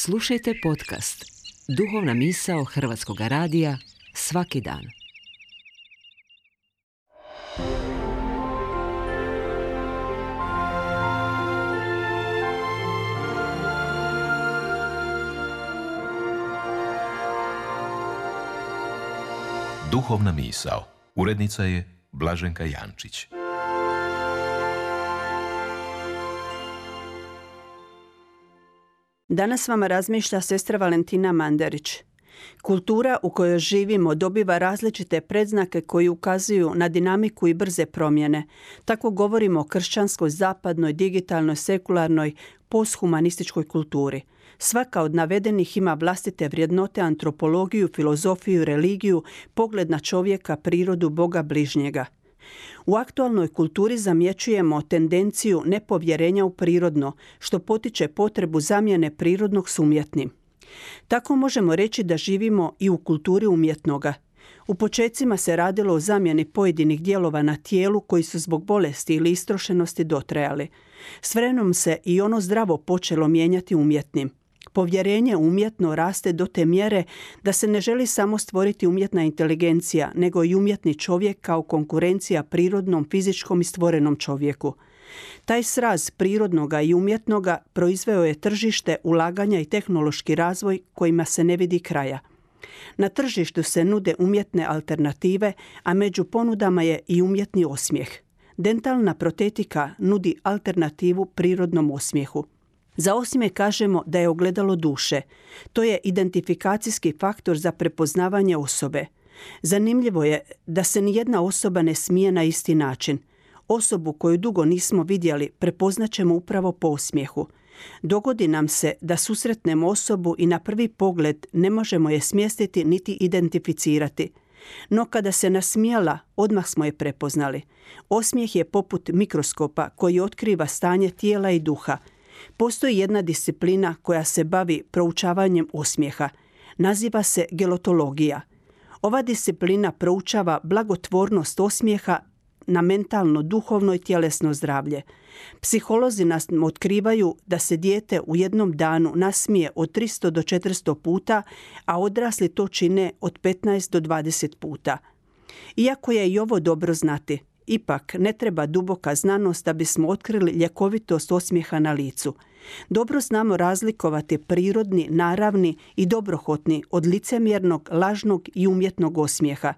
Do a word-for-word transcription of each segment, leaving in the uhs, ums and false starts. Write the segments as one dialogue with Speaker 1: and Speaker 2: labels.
Speaker 1: Slušajte podcast Duhovna misao Hrvatskog radija svaki dan.
Speaker 2: Duhovna misao. Urednica je Blaženka Jančić.
Speaker 3: Danas vama razmišlja sestra Valentina Mandarić. Kultura u kojoj živimo dobiva različite predznake koji ukazuju na dinamiku i brze promjene. Tako govorimo o kršćanskoj, zapadnoj, digitalnoj, sekularnoj, posthumanističkoj kulturi. Svaka od navedenih ima vlastite vrijednote, antropologiju, filozofiju, religiju, pogled na čovjeka, prirodu, Boga, bližnjega. U aktualnoj kulturi zamjećujemo tendenciju nepovjerenja u prirodno, što potiče potrebu zamjene prirodnog s umjetnim. Tako možemo reći da živimo i u kulturi umjetnoga. U počecima se radilo o zamjeni pojedinih dijelova na tijelu koji su zbog bolesti ili istrošenosti dotrajali. S vremenom se i ono zdravo počelo mijenjati umjetnim. Povjerenje umjetno raste do te mjere da se ne želi samo stvoriti umjetna inteligencija, nego i umjetni čovjek kao konkurencija prirodnom, fizičkom i stvorenom čovjeku. Taj sraz prirodnoga i umjetnoga proizveo je tržište, ulaganja i tehnološki razvoj kojima se ne vidi kraja. Na tržištu se nude umjetne alternative, a među ponudama je i umjetni osmijeh. Dentalna protetika nudi alternativu prirodnom osmijehu. Za osmijeh kažemo da je ogledalo duše. To je identifikacijski faktor za prepoznavanje osobe. Zanimljivo je da se nijedna osoba ne smije na isti način. Osobu koju dugo nismo vidjeli prepoznaćemo upravo po osmijehu. Dogodi nam se da susretnemo osobu i na prvi pogled ne možemo je smjestiti niti identificirati. No kada se nasmijala, odmah smo je prepoznali. Osmijeh je poput mikroskopa koji otkriva stanje tijela i duha. Postoji jedna disciplina koja se bavi proučavanjem osmijeha. Naziva se gelotologija. Ova disciplina proučava blagotvornost osmijeha na mentalno, duhovno i tjelesno zdravlje. Psiholozi nas otkrivaju da se dijete u jednom danu nasmije od tristo do četiristo puta, a odrasli to čine od petnaest do dvadeset puta. Iako je i ovo dobro znati, ipak ne treba duboka znanost da bismo otkrili ljekovitost osmijeha na licu. Dobro znamo razlikovati prirodni, naravni i dobrohotni od licemjernog, lažnog i umjetnog osmijeha.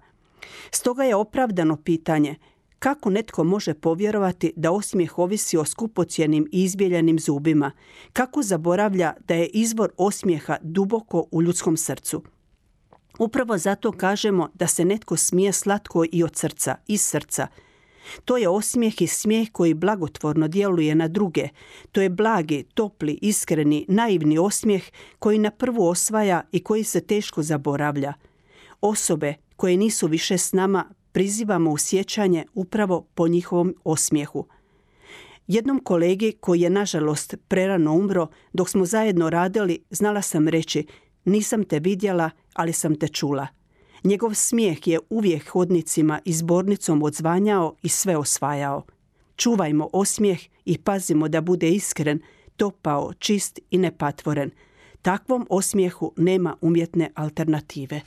Speaker 3: Stoga je opravdano pitanje kako netko može povjerovati da osmijeh ovisi o skupocjenim i izbijeljenim zubima, kako zaboravlja da je izvor osmijeha duboko u ljudskom srcu. Upravo zato kažemo da se netko smije slatko i od srca, iz srca. To je osmijeh i smijeh koji blagotvorno djeluje na druge. To je blagi, topli, iskreni, naivni osmijeh koji na prvu osvaja i koji se teško zaboravlja. Osobe koje nisu više s nama prizivamo u sjećanje upravo po njihovom osmijehu. Jednom kolegi koji je nažalost prerano umro, dok smo zajedno radili, znala sam reći: nisam te vidjela, ali sam te čula. Njegov smijeh je uvijek hodnicima i zbornicom odzvanjao i sve osvajao. Čuvajmo osmijeh i pazimo da bude iskren, topao, čist i nepatvoren. Takvom osmijehu nema umjetne alternative.